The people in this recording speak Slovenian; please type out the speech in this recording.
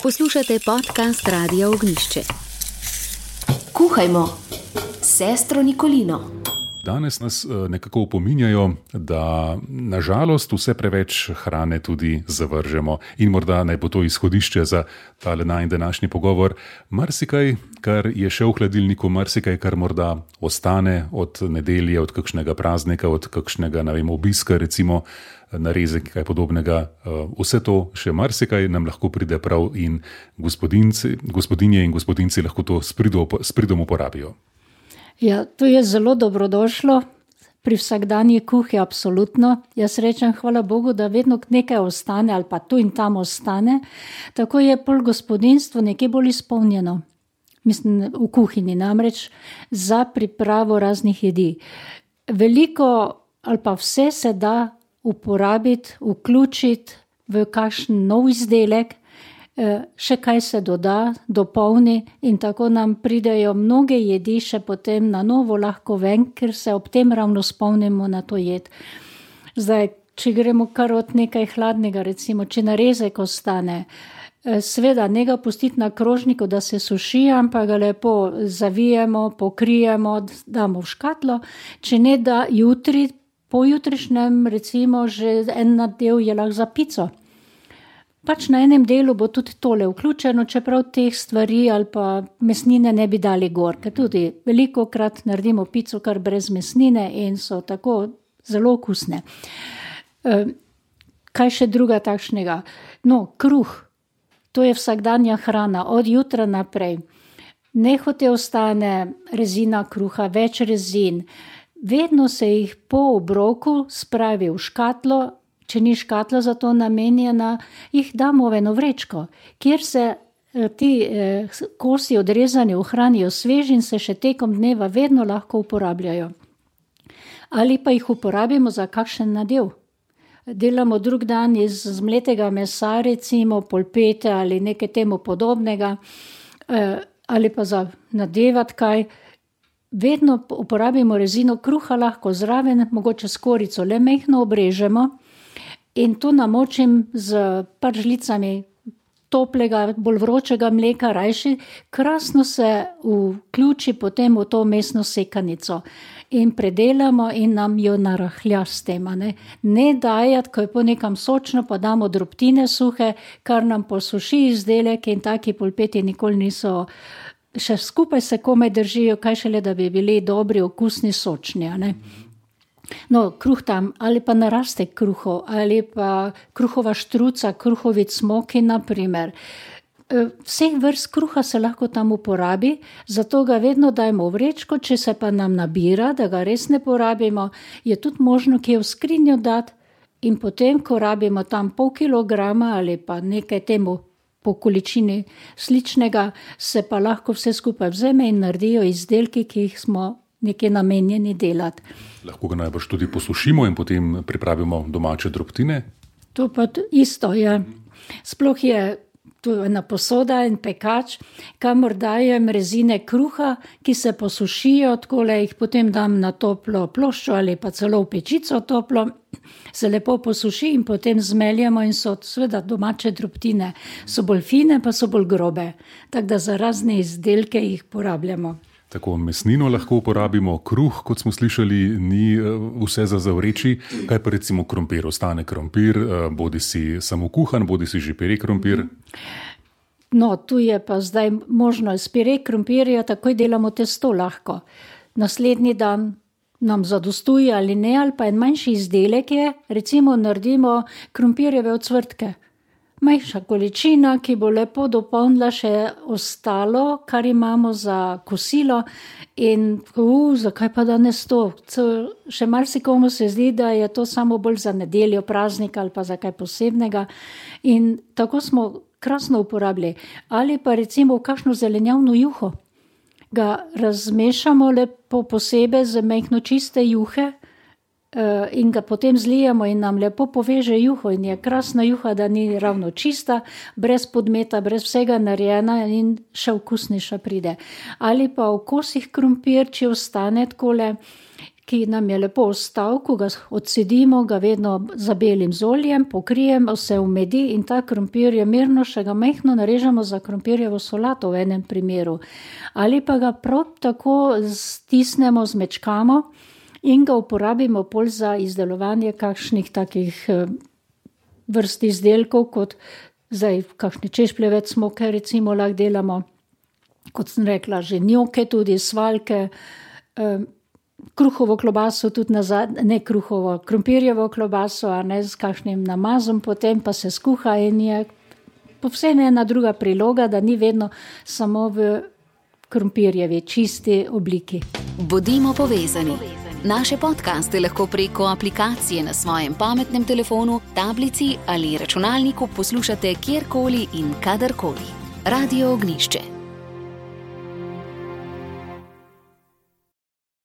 Poslušate podcast Radia Ognjišče. Kuhajmo s sestro Nikolino. Danes nas nekako opominjajo, da nažalost vse preveč hrane tudi zavržemo. In morda naj bo to izhodišče za tale najin današnji pogovor. Marsikaj, kar je še v hladilniku, marsikaj, kar morda ostane od nedelje, od kakšnega praznika, od kakšnega, obiska, recimo narezek, kaj podobnega. Vse to še marsikaj nam lahko pride prav in gospodinje in gospodinci lahko to s pridom uporabijo. Ja, to je zelo dobrodošlo pri vsakdanji kuhi, absolutno. Jaz rečem, hvala Bogu, da vedno nekaj ostane ali pa tu in tam ostane. Tako je pol gospodinstvo nekaj bolj izpolnjeno. Mislim, v kuhinji namreč za pripravo raznih jedi. Veliko ali pa vse se da uporabiti, vključiti v kakšen nov izdelek, še kaj se doda, dopolni in tako nam pridejo mnoge jedi še potem na novo lahko ven, ker se ob tem ravno spomnimo na to jed. Zdaj, če gremo kar od nekaj hladnega, recimo, če narezek ostane, seveda ne ga pustiti na krožniku, da se suši, ampak ga lepo zavijemo, pokrijemo, damo v škatlo, če ne da jutri, pojutrišnjem recimo že en nadev je lahko za pico. Pač na enem delu bo tudi tole vključeno, čeprav teh stvari ali pa mesnine ne bi dali gor, ker tudi velikokrat naredimo pico kar brez mesnine in so tako zelo okusne. Kaj še druga takšnega? No, kruh, to je vsakdanja hrana, od jutra naprej. Nehote ostane rezina kruha, več rezin. Vedno se jih po obroku spravi v škatlo. Če ni škatla za to namenjena, jih damo v eno vrečko, kjer se ti kosi odrezani ohranijo sveži in se še tekom dneva vedno lahko uporabljajo. Ali pa jih uporabimo za kakšen nadev. Delamo drug dan iz zmletega mesa, recimo polpete ali nekaj temu podobnega, ali pa za nadevati kaj. Vedno uporabimo rezino kruha, lahko zraven, mogoče skorico le mehko obrežemo. In to namočim z žlicami toplega, bolj vročega mleka, rajši, krasno se vključi potem v to mesno sekanico. In predelamo in nam jo narahlja s tem. Ne dajati, ko je po nekam sočno, pa damo drobtine suhe, kar nam posuši izdelek in taki polpeti nikoli niso, še skupaj se komaj držijo, kaj šele, da bi bili dobri, okusni, sočni, No, kruh tam, ali pa narastek kruhov, ali pa kruhova štruca, kruhovi cmoki, naprimer. Vseh vrst kruha se lahko tam uporabi, zato ga vedno dajmo v vrečko, če se pa nam nabira, da ga res ne porabimo, je tudi možno kje v skrinjo dati in potem, ko rabimo tam pol kilograma ali pa nekaj temu po količini sličnega, se pa lahko vse skupaj vzame in naredijo izdelki, ki jih smo nekaj namenjeni delati. Lahko ga najbrž tudi posušimo in potem pripravimo domače drobtine? To pa isto, ja. Sploh je tu ena posoda in pekač, kamor dajem rezine kruha, ki se posušijo, takole jih potem dam na toplo ploščo ali pa celo v pečico toplo, se lepo posuši in potem zmeljemo in so seveda domače drobtine. So bolj fine, pa so bolj grobe. Tako da za razne izdelke jih porabljamo. Tako mesnino lahko uporabimo, kruh, kot smo slišali, ni vse za zavreči. Kaj pa recimo krompir? Ostane krompir, bodi si samo kuhan, bodi si že pire krompir? No, tu je pa zdaj možno iz pire krompirja, takoj delamo testo lahko. Naslednji dan nam zadostuje ali ne, ali pa en manjši izdelek je, recimo naredimo krompirjeve ocvrtke. Majhna količina, ki bo lepo dopolnila še ostalo, kar imamo za kosilo in zakaj pa danes to? Še marsikomu se zdi, da je to samo bolj za nedeljo, praznik ali pa za kaj posebnega in tako smo krasno uporabili. Ali pa recimo v kakšno zelenjavno juho. Ga razmešamo lepo posebej z majhno čiste juhe in ga potem zlijemo in nam lepo poveže juho in je krasna juha, da ni ravno čista, brez podmeta, brez vsega narejena in še okusnejša pride. Ali pa v kosih krompir, če ostane takole, ki nam je lepo ostal, ko ga odcedimo, ga vedno zabelim z oljem, pokrijem, se umedi in ta krompir je mirno, še ga majhno narežemo za krompirjevo solato v enem primeru. Ali pa ga prav tako stisnemo, zmečkamo in ga uporabimo pol za izdelovanje kakšnih takih vrst izdelkov, kot zdaj kakšni češpljevec smoke recimo lahko delamo, kot sem rekla, že njoke, tudi svaljke, kruhovo klobaso, tudi ne kruhovo, krompirjevo klobaso, a ne z kakšnim namazom, potem pa se skuha in je povsem ena druga priloga, da ni vedno samo v krompirjevi čisti obliki. Bodimo povezani. Naše podcaste lahko preko aplikacije na svojem pametnem telefonu, tablici ali računalniku poslušate kjerkoli in kadarkoli. Radio Ognišče.